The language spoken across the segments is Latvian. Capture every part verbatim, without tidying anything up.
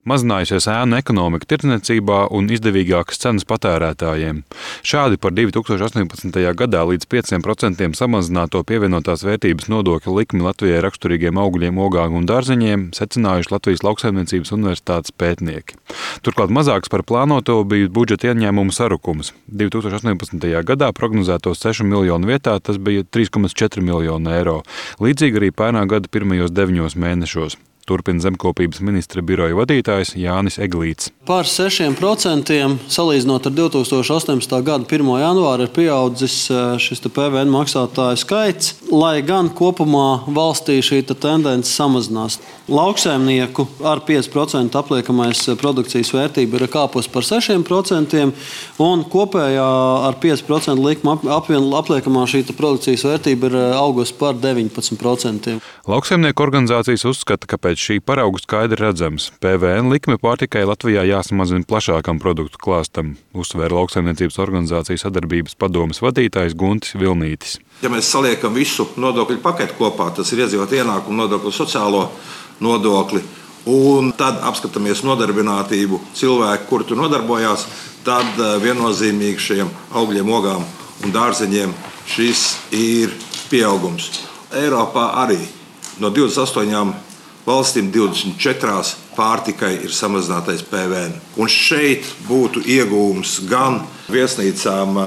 Mazinājusies ēnu ekonomika tirdzniecībā un izdevīgākas cenas patērētājiem. Šādi par divi tūkstoši astoņpadsmitajā gadā līdz pieciem procentiem samazināto pievienotās vērtības nodokļa likmi Latvijai raksturīgiem augļiem, ogām un dārzeņiem secinājuši Latvijas Lauksaimniecības universitātes pētnieki. Turklāt mazāks par plānoto bija budžeta ieņēmumu sarukums. divi tūkstoši astoņpadsmitajā gadā prognozētos sešu miljonu vietā tas bija trīs komats četri miljoni eiro. Līdzīgi arī pērnā gada pirmajos deviņos mēnešos. Turpina zemkopības ministra biroja vadītājs Jānis Eglīts. Par sešiem procentiem salīdzinot ar divi tūkstoši astoņpadsmitā gada pirmo janvāru ir pieaudzis šis P V N maksātāju skaits, lai gan kopumā valstī šī tendence samazinās. Lauksaimnieku ar pieci procenti apliekamais produkcijas vērtība ir kāpusi par sešiem procentiem, un kopējā ar pieci procentu likuma apliekamā šī produkcijas vērtība ir augusi par deviņpadsmit procentiem. Lauksaimnieku organizācijas uzskata, ka pēc šī parauga skaidri redzams. P V N likme pārtikai Latvijā jāsamazina plašākam produktu klāstam, uzsvēra Lauksaimniecības organizācijas sadarbības padomes vadītājs Guntis Vilnītis. Ja mēs saliekam visu nodokļu paketu kopā, tas ir iedzīvotāju ienākumu nodokli, sociālo nodokli, un tad apskatāmies nodarbinātību cilvēku, kuri tur nodarbojās, tad viennozīmīgi šiem augļiem, ogām un dārzeņiem šis ir pieaugums. Eiropā arī no divdesmit astoņām valstīm divdesmit četrās pārtikai ir samazinātais P V N. Un šeit būtu iegūms gan viesnīcām,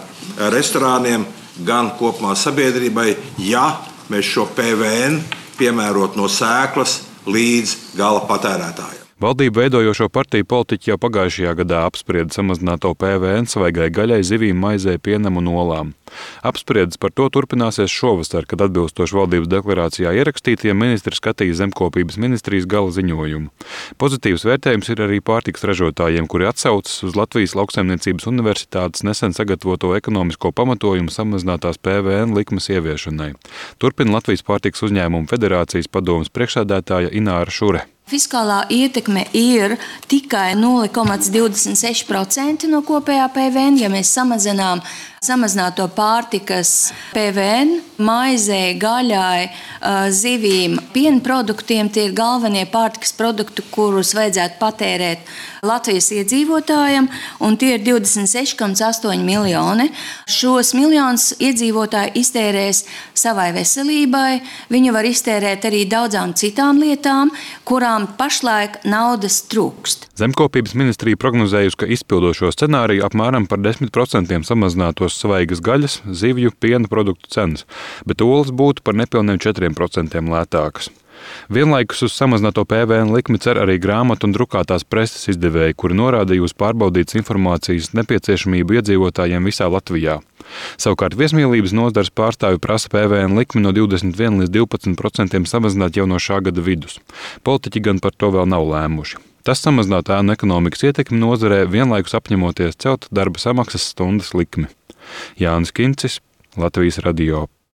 restorāniem, gan kopumā sabiedrībai, ja mēs šo P V N piemērot no sēklas līdz gala patērētājiem. Valdību veidojošo partiju politiķi jau pagājušajā gadā apsprieda samazināto P V N svaigai gaļai, zivīm, maizei, pienam un olām. Apspriedes par to turpināsies šovasar, kad atbilstoši valdības deklarācijā ierakstītiem ministri skatīs zemkopības ministrijas gala ziņojumu. Pozitīvs vērtējums ir arī pārtikas ražotājiem, kuri atsaucas uz Latvijas Lauksaimniecības universitātes nesen sagatavoto ekonomisko pamatojumu samazinātās P V N likmes ieviešanai. Turpina Latvijas pārtikas uzņēmumu federācijas padomes priekšsēdētāja Ināra Šure. Fiskālā ietekme ir tikai nulle komats divdesmit seši procenti no kopējā P V N, ja mēs samazinām samazināto pārtikas P V N, maizei, gaļai, zivīm, piena produktiem. Tie ir galvenie pārtikas produkti, kurus vajadzētu patērēt Latvijas iedzīvotājiem, un tie ir divdesmit seši komats astoņi miljoni. Šos miljonus iedzīvotāji iztērēs savai veselībai, viņi var iztērēt arī daudzām citām lietām, kurām pašlaik naudas trūkst. Zemkopības ministrija prognozējusi, ka izpildošo scenāriju apmēram par desmit procentiem samazinātos svaigas gaļas, zivju, piena produktu cenas, bet olas būtu par nepilniem četriem procentiem lētākas. Vienlaikus uz samazināto P V N likmi cer arī grāmatu un drukātās preses izdevēji, kuri norādīja uz pārbaudītas informācijas nepieciešamību iedzīvotājiem visā Latvijā. Savukārt viesmīlības nozares pārstāvji prasa P V N likmi no divdesmit viena līdz divpadsmit procentiem samazināt jau no šā gada vidus. Politiķi gan par to vēl nav lēmuši. Tas samazinātu ēnu ekonomikas ietekmi nozarē, vienlaikus apņemoties celt darba samaksas stundas likmi. Jānis Kincis, Latvijas radio.